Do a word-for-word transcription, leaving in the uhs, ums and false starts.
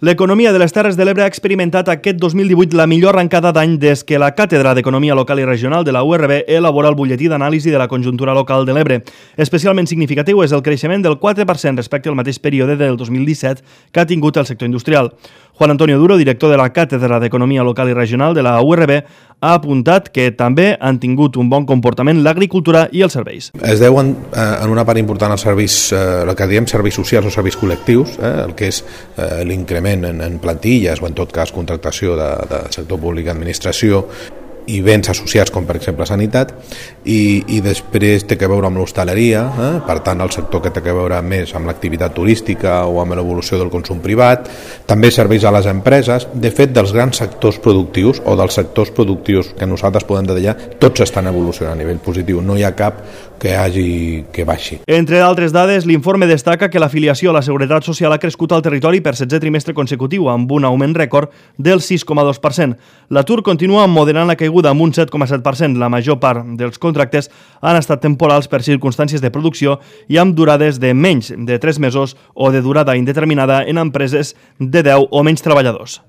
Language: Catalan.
L'economia de les Terres de l'Ebre ha experimentat aquest dos mil divuit la millor arrencada d'any des que la Càtedra d'Economia Local i Regional de la U R B elabora el butlletí d'anàlisi de la conjuntura local de l'Ebre. Especialment significatiu és el creixement del quatre per cent respecte al mateix període del dos mil disset que ha tingut el sector industrial. Juan Antonio Duro, director de la Càtedra d'Economia Local i Regional de la U R B, ha apuntat que també han tingut un bon comportament l'agricultura i els serveis. Es deuen eh, en una part important als serveis, eh, el que diem serveis socials o serveis col·lectius, eh, el que és eh, l'increment en, en plantilles o en tot cas contractació de, de sector públic i administració i béns associats com per exemple sanitat i, i després té que veure amb l'hostaleria, eh? Per tant el sector que té que veure més amb l'activitat turística o amb l'evolució del consum privat, també serveis a les empreses. De fet, dels grans sectors productius o dels sectors productius que nosaltres podem detallar, tots estan evolucionant a nivell positiu, no hi ha cap que hagi que baixi. Entre d'altres dades, l'informe destaca que l'afiliació a la Seguretat Social ha crescut al territori per setzè trimestre consecutiu, amb un augment rècord del sis coma dos per cent. L'atur continua moderant la caiguda amb un set coma set per cent. La major part dels contractes han estat temporals per circumstàncies de producció i amb durades de menys de tres mesos o de durada indeterminada en empreses de deu o menys treballadors.